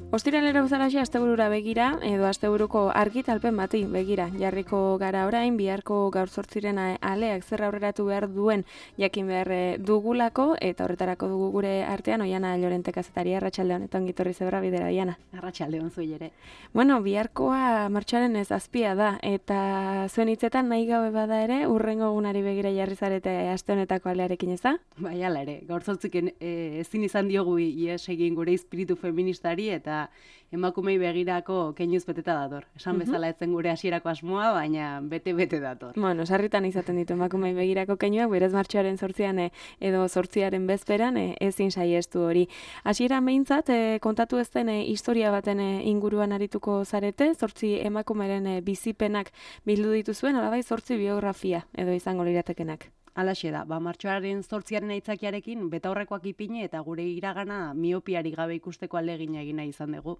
Ostiralera bezalaxe asteburura begira edo asteburuko argitalpen bati begira jarriko gara orain biharko gaur 8 aleak zer aurreratu behar duen jakin behar dugulako eta horretarako dugu gure artean Oiana Llorente kazetaria. Arratsaldeon eta ongi etorri zebra bidera Oiana. Arratsaldeon zuei ere. Bueno, biharkoa martxoaren 7 da eta zuen hitzetan nahi gabe bada ere hurrengo egunari begira jarri zarete aste honetako alearekin, ez da? Bai, hala ere. Gaur 8 ezin izan diogu ihes egin gure espiritu feministari eta emakumei begirako keinuz beteta dator. Esan bezala etzen gure hasierako asmoa, baina bete dator. Bueno, sarritan izaten ditu emakumei begirako keinuak, berez martxoaren 8 edo 8 bezperan ezin saiestu hori. Hasieran behintzat kontatu ez den historia baten inguruan arituko zarete, 8 emakumeren bizipenak bildu dituzuen, alabai 8 biografia edo izango liratekenak. Halaxe da, martxoaren 8 aitzakiarekin betaurrekoak ipini eta gure iragana miopiari gabe ikusteko ahalegina egin nahi izan dugu.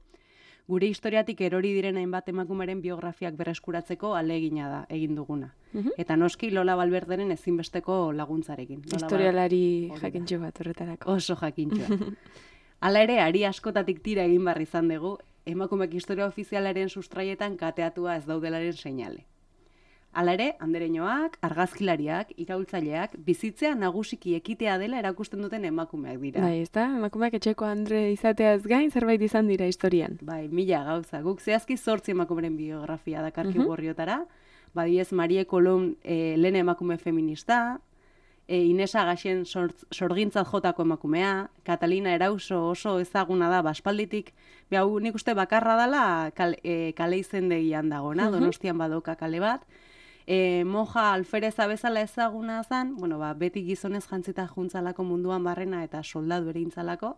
Gure historiatik erori diren hainbat emakumeren biografiak berreskuratzeko ahalegina da egin duguna. Eta noski Lola Valverderen ezinbesteko laguntzarekin. Historialari jakintxo bat horretarako. Oso jakintxoa. Hala ere, ari askotatik tira egin barri izan dugu, emakumeak historia ofizialaren sustraietan kateatua ez daudelaren seinale. Hala ere, andereñoak, argazkilariak, iraultzaileak, bizitzea nagusiki ekitea dela erakusten duten emakumeak dira. Bai, ez da? Emakumeak etxeko andre izateaz gain zerbait izan dira historian. Bai, mila gauza. Guk zehazki 8 emakumeren biografia dakarki gorriotara. Badiez Marie Colomb lehen emakume feminista, Inesa Gaxen sorgintzat jotako emakumea, Catalina Erauso oso ezaguna da baspalditik, hau nik uste bakarra dela kale izendegian dagona, Donostian badoka kale bat, Moja Alfereza bezala ezaguna zen, beti gizonez jantzita juntzalako munduan barrena eta soldadu ere intzalako,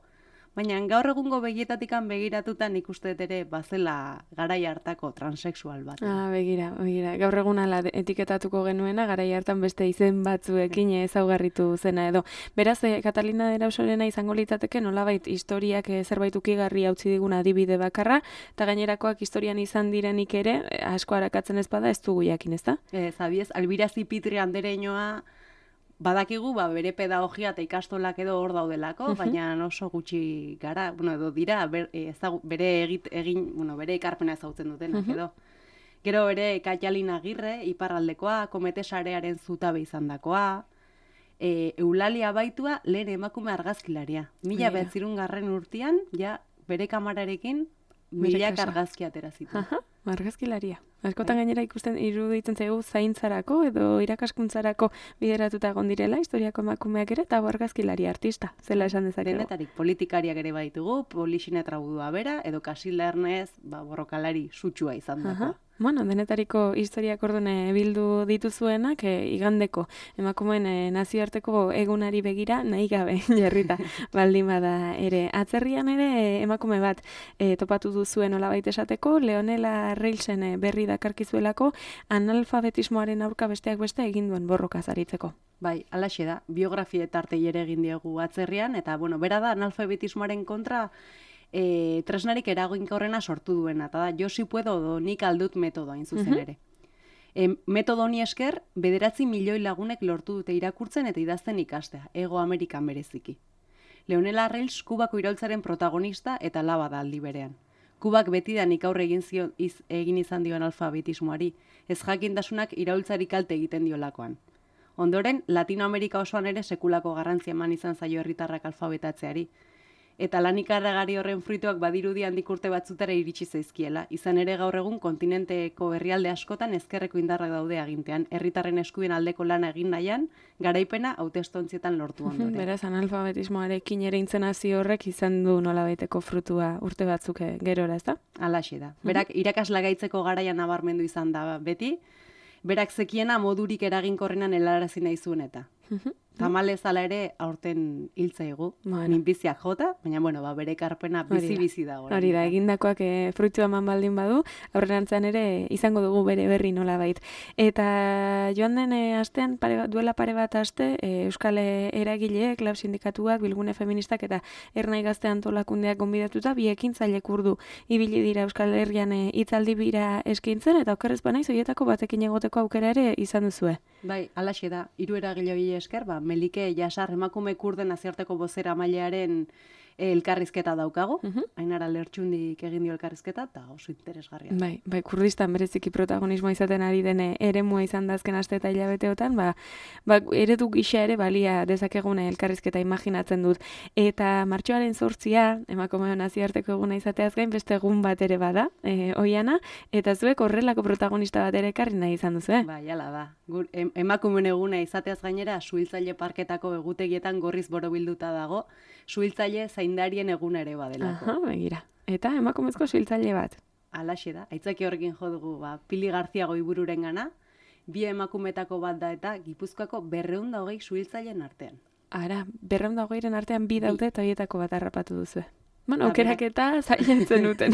baina gaur egungo begietatikan begiratuta nik uste ere bazela garai hartako transexual bat. Begira. Gaur egun ala etiketatuko genuena garai hartan beste izen batzuekin ezaugarritu zena edo. Beraz, Catalina Erausorena izango litzateke nolabait historiak zerbait ukigarri utzi digun adibide bakarra, eta gainerakoak historian izan direnik ere asko arakatzen ez bada ez dugu jakin, ezta? Zabiez, Albira Zipitri andereñoa badakigu, bere pedagogia eta ikastolak edo hor daudelako, baina oso gutxi gara, edo dira, bere ekarpena ezautzen dutenak edo. Gero bere Kaialin Agirre, iparraldekoa, Komete sarearen zutabe izandakoa, Eulalia Baitua, lehen emakume argazkilaria. 1900 urtean, bere kamararekin, milak argazki atera zitu. Argazkilaria. Askotan gainera ikusten iruditzen zaigu zaintzarako edo irakaskuntzarako bideratuta egon direla historiako emakumeak ere eta argazkilaria artista, zela esan dezakegu. Denetarik politikariak ere baitugu, Polixine Traudua bera, edo Casilda Ernest, borrokalari sutsua izan dagoa. Bueno, denetariko historiak ordone bildu dituzuenak igandeko emakumeen nazioarteko egunari begira nahi gabe jarrita baldin bada ere. Atzerrian ere emakume bat topatu duzuen olabait esateko, Leonela Reilsen berri dakarkizuelako analfabetismoaren aurka besteak beste egin duen borroka zaritzeko. Bai, alaxe da, biografia tartei ere egin diegu atzerrian, eta bera da analfabetismoaren kontra tresnarik eraginkorrena sortu duena, eta da, Josi puedo do nik aldut metodoa zuzen ere. Metodo honi esker, 9 milioi lagunek lortu dute irakurtzen eta idazten ikastea, Hego Amerikan bereziki. Leonela Reils Kubako iraultzaren protagonista eta laba da aldi berean. Kubak betidanik aurre egin izan dioan alfabetismoari, ez jakintasunak iraultzari kalte egiten diolakoan. Ondoren, Latinoamerika osoan ere sekulako garrantzia eman izan zaio herritarrak alfabetatzeari, eta lan ikaragarri horren fruituak badirudi handik urte batzutara iritsi zaizkiela. Izan ere gaur egun kontinenteko herrialde askotan ezkerreko indarrak daude agintean, herritarren eskubien aldeko lana egin nahian, garaipena hautestontzietan lortu ondoren. Beraz, analfabetismoarekin ere intzenazio horrek izan du nolabaiteko frutua urte batzuk gerora, ez da? Halaxe da. Berak irakasla gaitzeko garaian nabarmendu izan da beti, berak zekiena modurik eraginkorrenan helarazi nahi zuen eta. Tamalez ala ere aurten hiltzaigu, minbiziak jota, baina bere ekarpena bizi dago. Hori da, egindakoak fruitua eman baldin badu, aurrerantzean ere izango dugu bere berri nolabait. Eta joan den astean, duela pare bat aste, Euskal Eragileek, Lab Sindikatuak, Bilgune Feministak eta Ernai Gazte Antolakundeak gonbidatuta, bi ekintzaile kurdu ibili dira Euskal Herrian hitzaldi bira eskaintzen, eta okerrez banaiz horietako batekin egoteko aukera ere izan duzue. Bai, halaxe da, 3 eragile hori esker, Melike Jasar emakume kurden nazioarteko bozera mailearen elkarrizketa daukago, Ainara Lertxundik egin dio elkarrizketa, eta oso interesgarria. Bai, Kurdistan bereziki protagonismoa izaten ari den eremua izan da azken aste eta hilabeteotan, eredu gisa ere balia dezakegune elkarrizketa imaginatzen dut. Eta martxoaren 8 emakumeon nazioarteko eguna izateaz gain beste egun bat ere bada, oiana, eta zuek horrelako protagonista bat ere ekarri nahi izan duzu, Bai, hala da. Emakumeen eguna izateaz gainera, suhiltzaile parketako egutegietan gorriz borobilduta dago, suhiltzaile zaindarien eguna ere badelako. Aha, begira. Eta emakumezko suhiltzaile bat. Alaxe da. Aitzaki horrekin jo dugu, Pili Garzia Goibururen gana, bi emakumetako bat da eta Gipuzkoako 220 suhiltzaileen artean. Ara, 220 artean bi daude eta horietako bat harrapatu duzu. Bueno, aukerak eta zailentzen duten.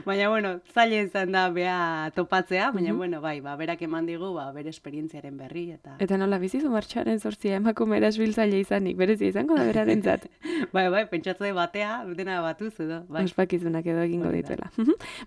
Baina, zaila izan da bea topatzea, baina, berak eman digu, bere esperientziaren berri. Eta nola bizizu martxoaren 8 emakumera suhiltzaile izanik, berezia izango da berarentzat. Bai, pentsatze batea, dena batuz edo. Ospakizunak edo egingo dituela.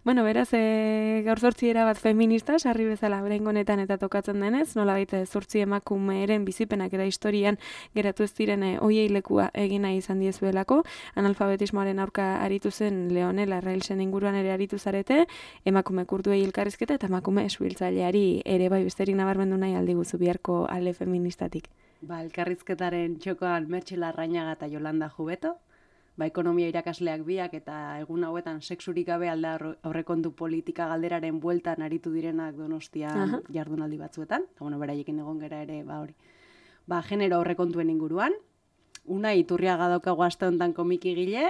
Bueno, beraz, gaur 8 bat feminista, sarri bezala berengo honetan eta tokatzen denez, nola baita 8 emakumeren bizipenak eta historian geratu ez diren oiei lekua egina izan diezuelako, analfabetismoaren aurka aritu zen Leonela Railsen inguruan ere aritu zarete, emakume kurduei elkarrizketa eta emakume suhiltzaileari ere bai besterik nabarmendu nahi aldiguzu biharko alde feministatik. Elkarrizketaren txokoan Mertxe Larrañaga eta Yolanda Jubeto, ekonomia irakasleak biak eta egun hauetan sexurik gabe alda aurrekontu politika galderaren bueltan aritu direnak Donostian jardunaldi batzuetan, eta beraiekin egon gera ere hori. Genero aurrekontuen inguruan, Unai Iturriaga daukagu aste honetan komikigile,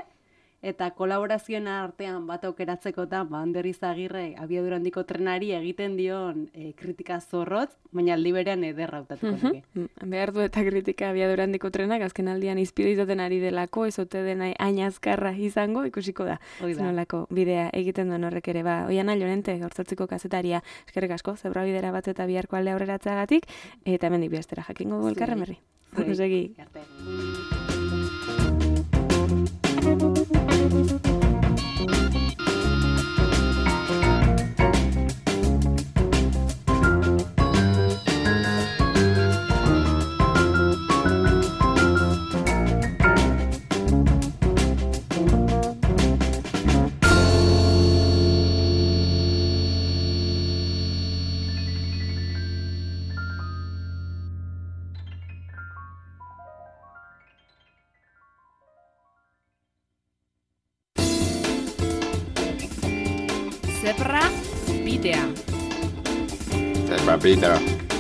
eta kolaborazioen artean bat aukeratzeko eta Ander Izagirre abiadura handiko trenari egiten dion kritika zorrotz, baina aldi berean ederra hautatuko duke. Behar du eta kritika abiadura handiko trenak azken aldian izpide izaten ari delako, ez ote dena hain azkarra izango, ikusiko da. Zenolako bidea egiten duen horrek ere. Oiana Llorente, Gaurtzatziko kazetaria, eskerrik asko, zebra bidera bat eta biharko alde aurreratzagatik, eta hemendik bihaztera jakingo du elkarren berri. Segi. Zebra bidea. Zebra bidea.